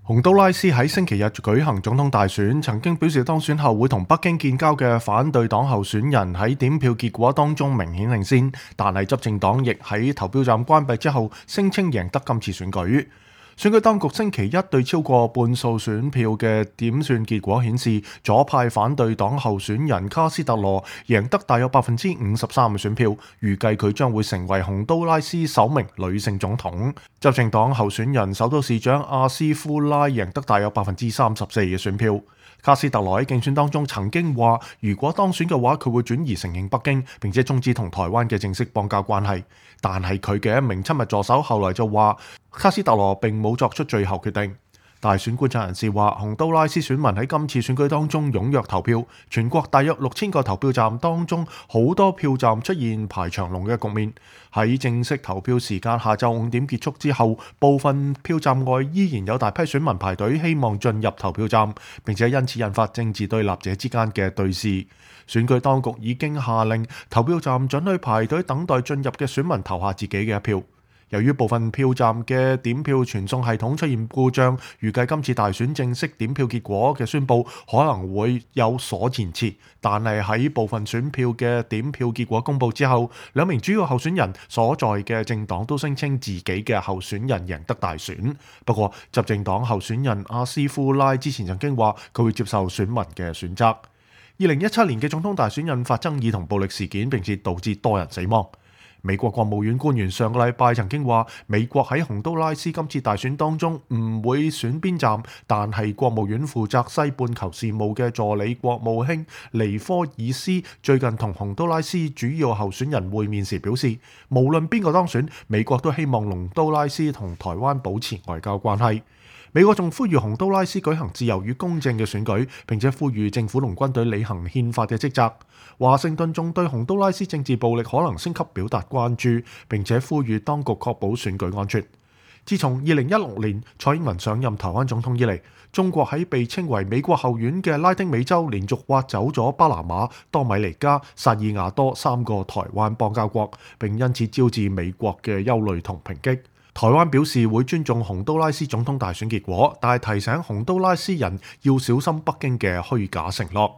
洪都拉斯喺星期日舉行總統大選，曾經表示當選後會同北京建交嘅反對黨候選人喺點票結果當中明顯領先，但係執政黨亦喺投票站關閉之後聲稱贏得今次選舉。選舉當局星期一對超過半數選票嘅點算結果顯示，左派反對黨候選人卡斯特羅贏得大約53%嘅選票，預計佢將會成為洪都拉斯首名女性總統。執政黨候選人首都市長阿斯夫拉贏得大約34%嘅選票。卡斯特羅喺競選當中曾經話，如果當選嘅話，佢會轉移承認北京，並且終止同台灣嘅正式邦交關係。但係佢嘅一名親密助手後來就話，卡斯特羅並冇作出最後決定。大選觀察人士話，洪都拉斯選民喺今次選舉當中踴躍投票，全國大約6000個投票站當中，好多票站出現排長龍嘅局面。喺正式投票時間下晝5點結束之後，部分票站外依然有大批選民排隊，希望進入投票站，並且因此引發政治對立者之間嘅對峙。選舉當局已經下令投票站准許排隊等待進入嘅選民投下自己嘅一票。由於部分票站嘅點票傳送系統出現故障，預計今次大選正式點票結果嘅宣佈可能會有所延遲。但係喺部分選票嘅點票結果公佈之後，兩名主要候選人所在嘅政黨都聲稱自己嘅候選人贏得大選。不過，執政黨候選人阿斯夫拉之前曾經話佢會接受選民嘅選擇。2017年嘅總統大選引發爭議同暴力事件，並且導致多人死亡。美國國務院官員上個禮拜曾經話，美國喺洪都拉斯今次大選當中唔會選邊站，但係國務院負責西半球事務嘅助理國務卿尼科爾斯最近同洪都拉斯主要候選人會面時表示，無論邊個當選，美國都希望洪都拉斯同台灣保持外交關係。美國仲呼籲洪都拉斯舉行自由與公正嘅選舉，並且呼籲政府同軍隊履行憲法嘅職責。華盛頓仲對洪都拉斯政治暴力可能升級表達關注，並且呼籲當局確保選舉安全。自從2016年蔡英文上任台灣總統以嚟，中國喺被稱為美國後院嘅拉丁美洲連續挖走咗巴拿馬、多米尼加、薩爾瓦多3個台灣邦交國，並因此招致美國嘅憂慮同抨擊。台灣表示會尊重洪都拉斯總統大選結果，但係提醒洪都拉斯人要小心北京嘅虛假承諾。